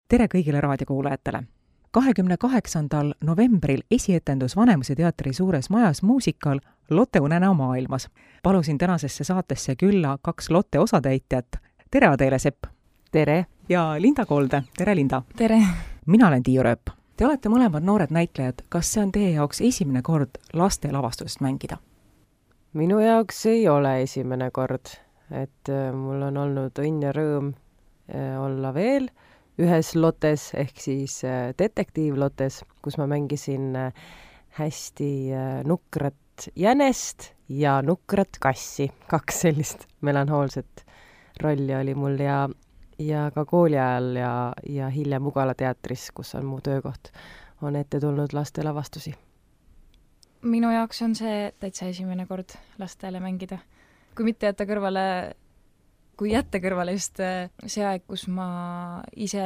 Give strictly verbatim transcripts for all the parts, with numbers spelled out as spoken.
tere kõigile raadiokuulajatele! kahekümne kaheksandal novembril esietendus Vanemuise teatri suures majas muusikal Lotte unenäo maailmas. Palusin tänasesse saatesse külla kaks Lotte osatäitjat. Tere Adele Sepp! Tere! Ja Linda Kolde. Tere Linda! Tere! Mina olen Tiiu Rööp. Te olete mõlemad noored näitlejad. Kas see on teie jaoks esimene kord laste lavastusest mängida? Minu jaoks ei ole esimene kord. Et mul on olnud õnn ja rõõm olla veel ühes Lottes, ehk siis detektiivlottes, kus ma mängisin hästi nukrat jänest ja nukrat kassi. Kaks sellist melanhoolset rolli oli mul ja, ja ka kooli ajal ja, ja hiljem Ugala teatris, kus on mu töökoht, on ette tulnud laste lavastusi. Minu jaoks on see täitsa esimene kord lastele mängida. Kui mitte jätta kõrvale kui jätta kõrvale just see aeg, kus ma ise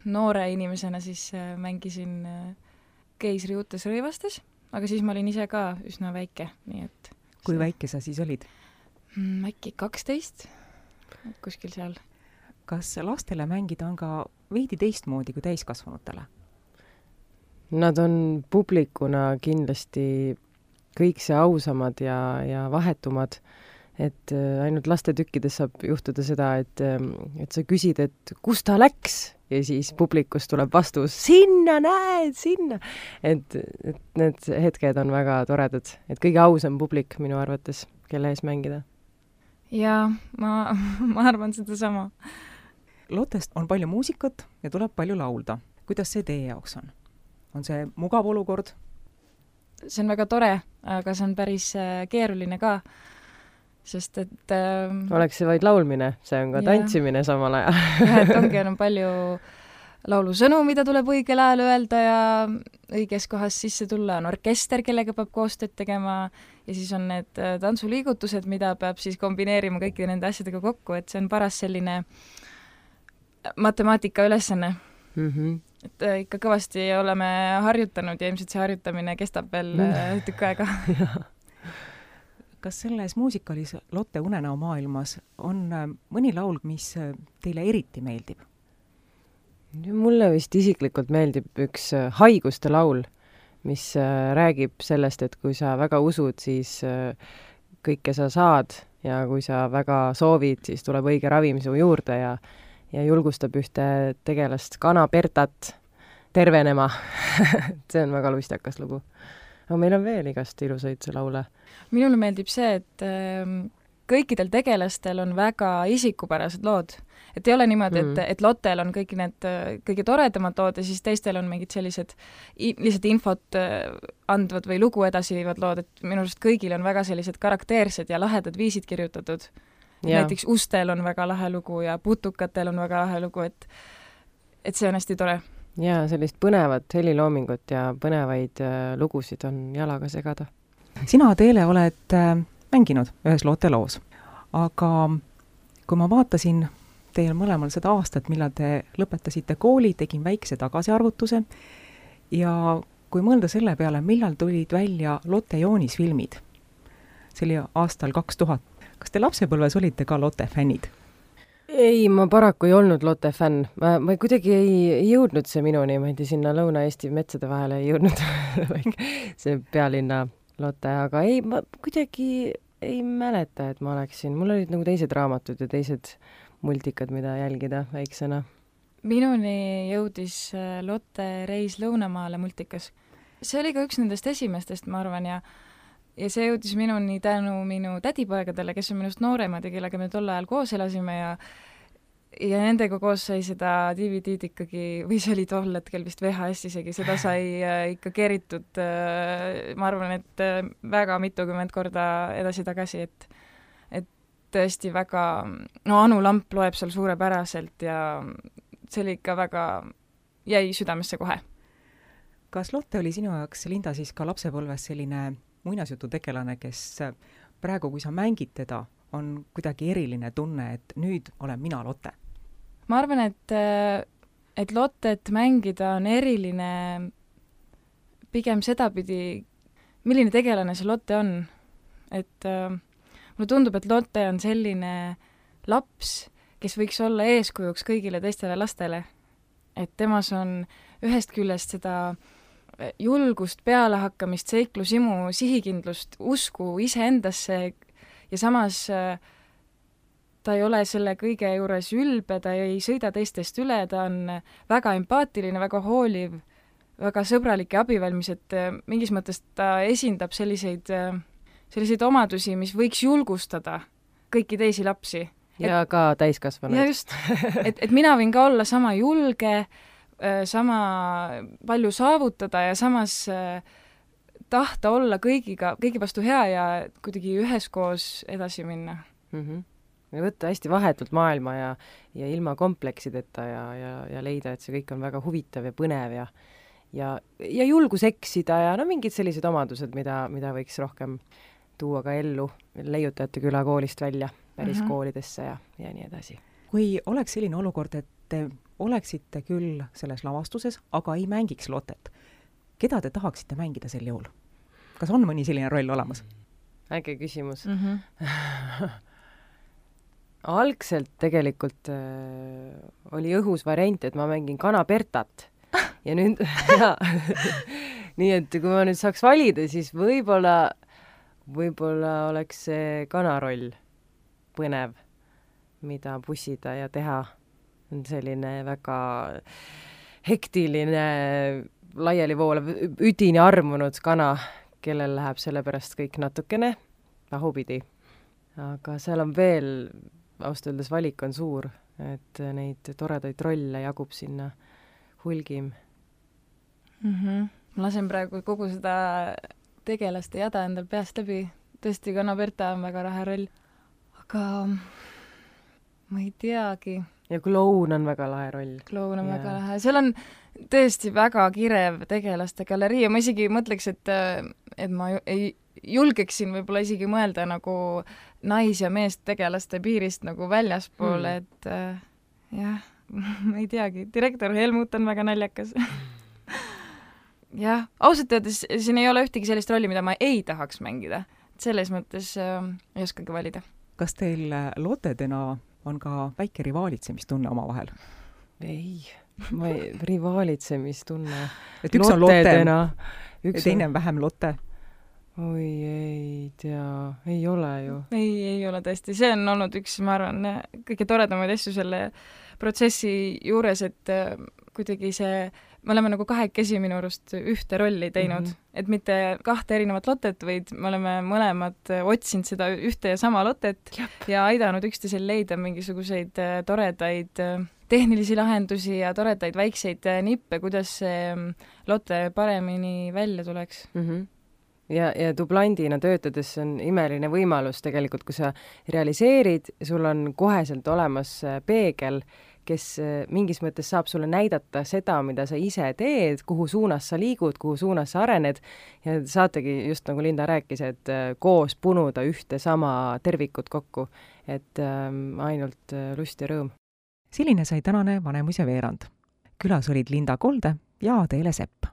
noore inimesena siis mängisin Keisri uutes rõivastes, aga siis ma olin ise ka üsna väike, nii et... Kui see... väike sa siis olid? Äkki kaksteist, kuskil seal. Kas lastele mängida on ka veidi teistmoodi kui täiskasvanutele? Nad on publikuna kindlasti kõik see ausamad ja, ja vahetumad. Et ainult laste tükkides saab juhtuda seda, et, et sa küsid, et kus ta läks ja siis publikus tuleb vastus, sinna näed, sinna. Et, et need hetked on väga toredad, et kõige ausam publik minu arvates, kelle ees mängida. Jaa, ma, ma arvan seda sama. Lottest on palju muusikat ja tuleb palju laulda. Kuidas see teie jaoks on? On see mugav olukord? See on väga tore, aga see on päris keeruline ka. Sest et... Ähm, Oleks see vaid laulmine, see on ka yeah. Tantsimine samal ajal. Ja, et ongi on palju laulusõnu, mida tuleb õigel ajal öelda ja õiges kohas sisse tulla. On orkester, kellega peab koostööd tegema ja siis on need tantsuliigutused, mida peab siis kombineerima kõikide nende asjadega kokku, et see on paras selline matemaatika ülesanne. Mm-hmm. Et ikka kõvasti oleme harjutanud ja ilmselt see harjutamine kestab veel mm. tükk aega. Kas selles muusikalis Lotte unenäo maailmas on mõni laul, mis teile eriti meeldib? Mulle vist isiklikult meeldib üks haiguste laul, mis räägib sellest, et kui sa väga usud, siis kõike sa saad ja kui sa väga soovid, siis tuleb õige ravim su juurde ja, ja julgustab ühte tegelast Kana Bertat tervenema. See on väga luistakas lugu. Aga meil on veel igast ilusaid laule. Minule meeldib see, et äh, kõikidel tegelastel on väga isikupärased lood. Et ei ole niimoodi, mm. et, et Lottel on kõik need äh, kõige toredamad lood ja siis teistel on mingid sellised i- lihtsalt infot äh, andvad või lugu edasi viivad lood, et minu arust kõigil on väga sellised karakteersed ja lahedad viisid kirjutatud. Näiteks Ustel on väga lahe lugu ja Putukatel on väga lahe lugu, et, et see on hästi tore. Jaa, sellist põnevat heliloomingut ja põnevaid äh, lugusid on jalaga segada. Sina, Adele, oled äh, mänginud ühes Lotte loos, aga kui ma vaatasin teil mõlemal seda aastat, millal te lõpetasite kooli, tegin väikse tagasiarvutuse ja kui mõelda selle peale, millal tulid välja Lotte joonisfilmid, see oli aastal kaks tuhat. Kas te lapsepõlves olite ka Lotte fännid? Ei, ma paraku ei olnud Lotte fänn. Ma, ma kuidagi ei, ei jõudnud see minuni, ma ei tea, sinna Lõuna-Eesti metsade vahele ei jõudnud see pealinna Lotte, aga ei, ma kuidagi ei mäleta, et ma oleksin. Mul olid nagu teised raamatud ja teised multikad, mida jälgida väiksena. Minuni jõudis Lotte Reis Lõunamaale multikas. See oli ka üks nendest esimestest, ma arvan, ja Ja see jõudis minuni tänu minu tädipoegadele, kes on minust nooremad ja kellega me tol ajal koos elasime ja ja nendega koos sai seda D V D-d ikkagi, või see oli tol hetkel vist V H S isegi, seda sai ikka keritud, ma arvan, et väga mitukümmend korda edasi-tagasi, et, et tõesti väga, no Anu Lamp loeb seal suurepäraselt ja see oli ikka väga, jäi südamesse kohe. Kas Lotte oli sinu jaoks, Linda, siis ka lapsepõlves selline muinasjutu tegelane, kes praegu, kui sa mängid teda, on kuidagi eriline tunne, et nüüd olen mina Lotte? Ma arvan, et, et Lottet mängida on eriline pigem sedapidi, milline tegelane see Lotte on. Et äh, mulle tundub, et Lotte on selline laps, kes võiks olla eeskujuks kõigile teistele lastele. et temas on ühest küljest seda julgust, pealehakkamist, seiklusimu, sihikindlust, usku iseendasse ja samas ta ei ole selle kõige juures ülbe, ta ei sõida teistest üle, ta on väga empaatiline, väga hooliv, väga sõbralik ja abivalmis, et mingis mõttes ta esindab selliseid, selliseid omadusi, mis võiks julgustada kõiki teisi lapsi. Ja et, ka täiskasvanuid. Ja just, et, et mina võin ka olla sama julge, sama palju saavutada ja samas tahta olla kõigiga, kõigi vastu hea ja kuidagi üheskoos edasi minna. Mhm. Ja võtta hästi vahetult maailma ja, ja ilma kompleksideta ja, ja, ja leida, et see kõik on väga huvitav ja põnev ja, ja, ja julgus eksida ja no mingid sellised omadused, mida, mida võiks rohkem tuua ka ellu leiutajate küla koolist välja, päris mm-hmm. koolidesse ja, ja nii edasi. Kui oleks selline olukord, et te oleksite küll selles lavastuses, aga ei mängiks Lottet, keda te tahaksite mängida sel juhul? Kas on mõni selline roll olemas? Äge küsimus. Mm-hmm. Algselt tegelikult äh, oli õhus variant, et ma mängin kana Bertat ja nüüd ja, nii et kui ma nüüd saaks valida, siis võib-olla võib-olla oleks see kanaroll põnev, mida pussida ja teha. On selline väga hektiline, laiali voolav, üdini armunud kana, kellel läheb selle pärast kõik natukene pahupidi. Aga seal on veel ausalt öeldes valik on suur, et neid toredaid rolle jagub sinna hulgim. Mm-hmm. Ma lasen praegu kogu seda tegelaste jada endal peast läbi. Tõesti, Kana Berta on väga rahe roll. Aga ma ei teagi. Ja kloun on väga lahe roll. Kloun on ja. väga lahe. Seal on tõesti väga kirev tegelaste galerii ja ma isegi mõtleks, et, et ma ei julgeksin võib-olla isegi mõelda nagu nais- ja meest tegelaste piirist nagu väljaspool, hmm. et äh, jah, ma ei teagi, direktor Helmut on väga naljakas. jah, ausalt öeldes siin ei ole ühtegi sellist rolli, mida ma ei tahaks mängida. Selles mõttes äh, ei oskagi valida. Kas teil Lottedena on ka väike rivaalitsemistunne oma vahel? Ei, ma ei, rivaalitsemistunne. Et üks on Lotte, teine on vähem Lotte. Oi, ei tea, ei ole ju. Ei, ei ole tõesti. See on olnud üks, ma arvan, kõige toredamaid asju selle protsessi juures, et kuidagi see, me oleme nagu kahekesi minu arust ühte rolli teinud, mm-hmm. et mitte kahte erinevat Lottet, vaid me oleme mõlemad otsinud seda ühte ja sama Lottet Jep. ja aidanud üksteisel leida mingisuguseid toredaid tehnilisi lahendusi ja toredaid väikseid nippe, kuidas see Lotte paremini välja tuleks. Mhm. Ja, ja dublandina töötades on imeline võimalus tegelikult, kui sa realiseerid, sul on koheselt olemas peegel, kes mingis mõttes saab sulle näidata seda, mida sa ise teed, kuhu suunas sa liigud, kuhu suunas sa arened ja saategi just nagu Linda rääkis, et koos punuda ühte sama tervikut kokku, et ähm, ainult lust ja rõõm. Selline sai tänane Vanemuise veerand. Külas olid Linda Kolde ja Teele Sepp.